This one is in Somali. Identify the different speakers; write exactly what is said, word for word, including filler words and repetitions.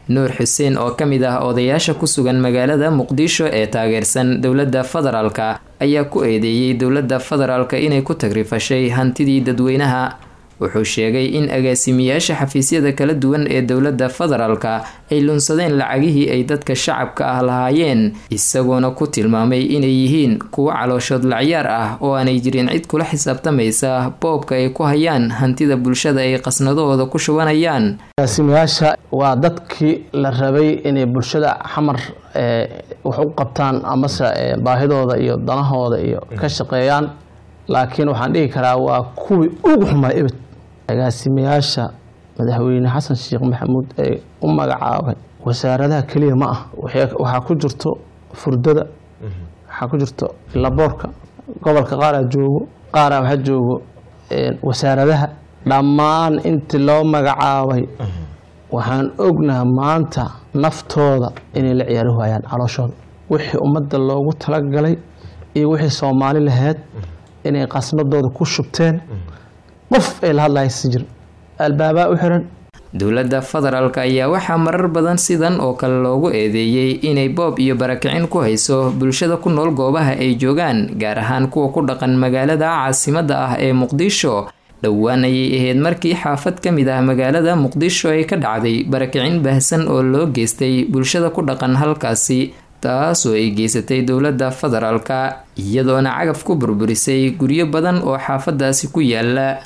Speaker 1: Nuur Xuseen oo ka mid ah odayaasha ku sugan magaalada Muqdisho ee taageersan dowladda federaalka ayaa ku eedeeyey dowladda federaalka inay ku tagrifashay hantidii dadweynaha. Wuxuu sheegay in agaasimiyaasha xafiisyada kala duwan ee dowladda federaalka ay lunsadeen lacagihii ay dadka shacabka ah lahaayeen, isagoona ku tilmaamay inay yihiin kuwo calooshood lacyaar ah oo aanay jirin cid kula xisaabtamaysa boobka ay ku hayaan hantida bulshada ay qasnadahooda ku shubanayaan.
Speaker 2: Agaasimayaasha waa dadkii la rabay inay bulshada Xamar wax u qabtaan amase baahidooda iyo danahooda iyo ka shaqeeyaan, laakiin waxaan dhihi karaa waa kuwii ugu xumay ebed. Agaasimayaasha Madaxweyne Xasan Sheekh Maxamuud ee u magacaabay wasaaradaha keliya ma ah, waxaa ku jirto furdada, waxaa ku jirto laboorka gobolka, qaaraa joogo, qaaraa waxaa joogo wasaaradaha. Dhammaan intii loo magacaabay waxaan ognaha maanta naftooda inay la ciyaari waayaan calooshooda, wixii ummadda loogu talagalay iyo wixii Soomaali lahayd inay qasnadooda ku shubteen, qof ay la hadlaya si jir albaabaa u xiran.
Speaker 1: Dowladda federaalka ayaa waxaa marar badan sidan oo kale loogu eedeeyey inay boob iyo barakicin ku hayso bulshada ku nool goobaha ay joogaan, gaar ahaan kuwa ku dhaqan magaalada caasimadda ah ee Muqdisho. Dhowaan ayay ahayd markii xaafad ka mid ah magaalada Muqdisho ay ka dhacday barakicin baahsan oo loo geystay bulshada ku dhaqan halkaasi, taasoo ay geysatay dowladda federaalka, iyadoona cagaf ku burburisay guryo badan oo xaafadaasi ku yaala.